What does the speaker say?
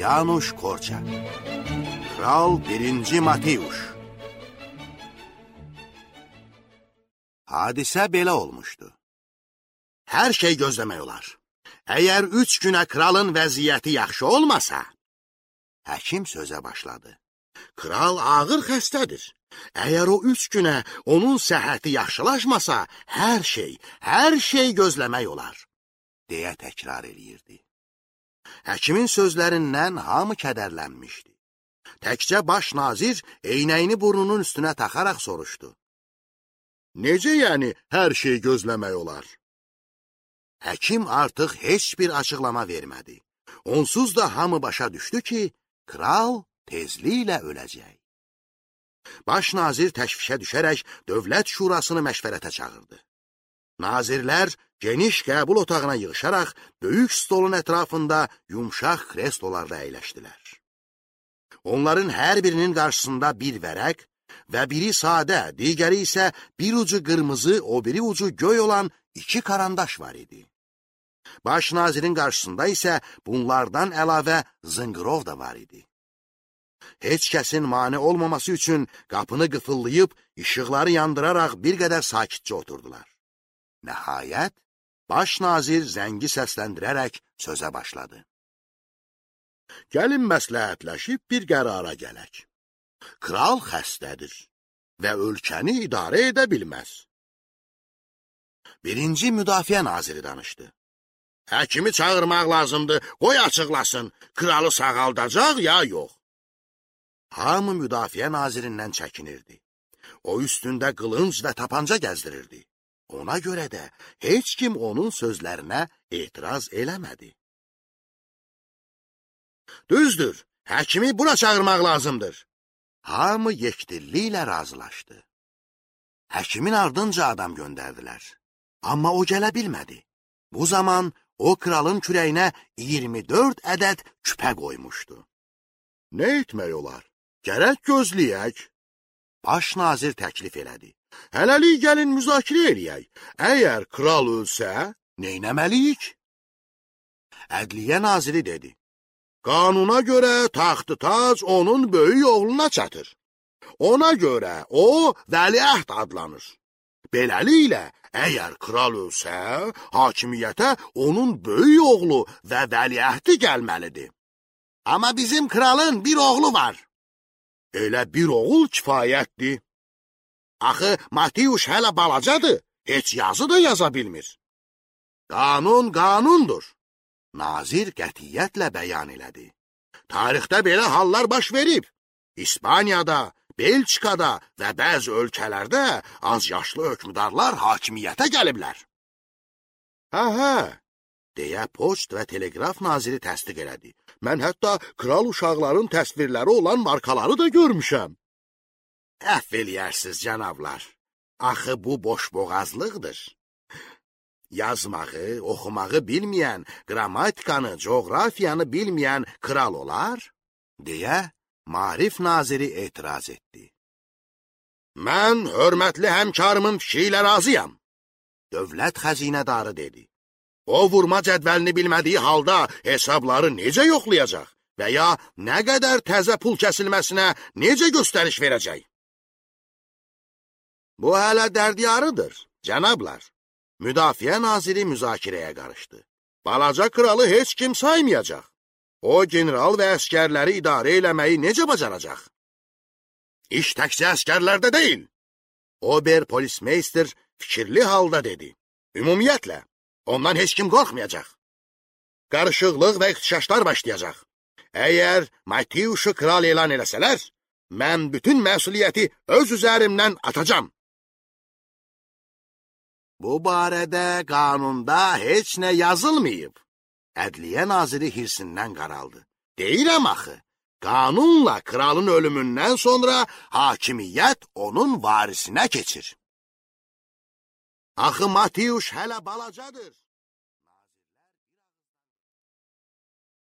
Yanuş Korçak. Kral 1. Mateusz. Hadisə belə olmuşdu. Hər şey gözləmək olar. Əgər 3 günə kralın vəziyyəti yaxşı olmasa, həkim sözə başladı. Kral ağır xəstədir. Əgər o 3 günə onun səhhəti yaxşılaşmasa, hər şey gözləmək olar, deyə təkrar eləyirdi. Həkimin sözlərindən hamı kədərlənmişdi. Təkcə baş nazir eynəyini burnunun üstünə taxaraq soruşdu. Necə yəni hər şey gözləmək olar? Həkim artıq heç bir açıqlama vermədi. Onsuz da hamı başa düşdü ki, kral tezliklə öləcək. Baş nazir təşvişə düşərək dövlət şurasını məşvərətə çağırdı. Nazirlər geniş qəbul otağına yığışaraq böyük stolun ətrafında yumşaq kreslolarda əyləşdilər. Onların hər birinin qarşısında bir vərəq və biri sadə, digəri isə bir ucu qırmızı, o biri ucu göy olan 2 karandaş var idi. Baş nazirin qarşısında isə bunlardan əlavə zınqırov da var idi. Heç kəsin mane olmaması üçün qapını qıfıllayıb, işıqları yandıraraq bir qədər sakitcə oturdular. Nəhayət, baş nazir zəngi səsləndirərək sözə başladı. Gəlin məsləhətləşib bir qərara gələk. Kral xəstədir və ölkəni idarə edə bilməz. 1. Müdafiə naziri danışdı. Həkimi çağırmaq lazımdır, qoy açıqlasın, kralı sağaldacaq ya yox. Hamı müdafiə nazirindən çəkinirdi. O üstündə qılınc və tapanca gəzdirirdi. Ona görə də heç kim onun sözlərinə etiraz eləmədi. Düzdür, həkimi bura çağırmaq lazımdır. Hamı yekdilliklə razılaşdı. Həkimin ardınca adam göndərdilər. Amma o gələ bilmədi. Bu zaman o kralın kürəyinə 24 ədəd küpə qoymuşdu. Nə etmək olar? Gərək gözləyək. Baş nazir təklif elədi. Hələlik gəlin müzakirə eləyək. Əgər kral ölsə, neynəməliyik? Ədliyyə naziri dedi. Qanuna görə taxtı tac onun böyük oğluna çatır. Ona görə o vəliəhd adlanır. Beləliklə, əgər kral ölsə, hakimiyyətə onun böyük oğlu və vəliəhdi gəlməlidir. Amma bizim kralın bir oğlu var. Elə bir oğul kifayətdir. Axı, Mateusz hələ balacadır, heç yazı da yaza bilmir. Qanun qanundur. Nazir qətiyyətlə bəyan elədi. Tarixdə belə hallar baş verib. İspaniyada, Belçikada və bəzi ölkələrdə az yaşlı hökmdarlar hakimiyyətə gəliblər. Hə, deyə poçt və teleqraf naziri təsdiq elədi. Mən hətta kral uşaqların təsvirləri olan markaları da görmüşəm. Əfv eləyərsiniz, cənablar. Axı bu boşboğazlıqdır. Yazmağı, oxumağı bilməyən, qrammatikanı, coğrafiyanı bilməyən kral olar, deyə Maarif naziri etiraz etdi. Mən hörmətli həmkarımın fikri ilə razıyam, dövlət xəzinədarı dedi. O vurma cədvəlini bilmədiyi halda hesabları necə yoxlayacaq və ya nə qədər təzə pul kəsilməsinə necə göstəriş verəcək? Bu hələ dərdiyarıdır, cənablar. Müdafiə naziri müzakirəyə qarışdı. Balaca kralı heç kim saymayacaq. O, general və əskərləri idarə eləməyi necə bacaracaq? İş təkcə əskərlərdə deyil. Ober polismeyster fikirli halda dedi. Ümumiyyətlə, ondan heç kim qorxmayacaq. Qarışıqlıq və ixtişaşlar başlayacaq. Əgər Mateusz'u kral elan eləsələr, mən bütün məsuliyyəti öz üzərimdən atacam. Bu barədə qanunda heç nə yazılmayıb. Ədliyyə naziri hirsindən qaraldı. Deyirəm axı, qanunla kralın ölümündən sonra hakimiyyət onun varisinə keçir. Axı Mateusz hələ balacadır.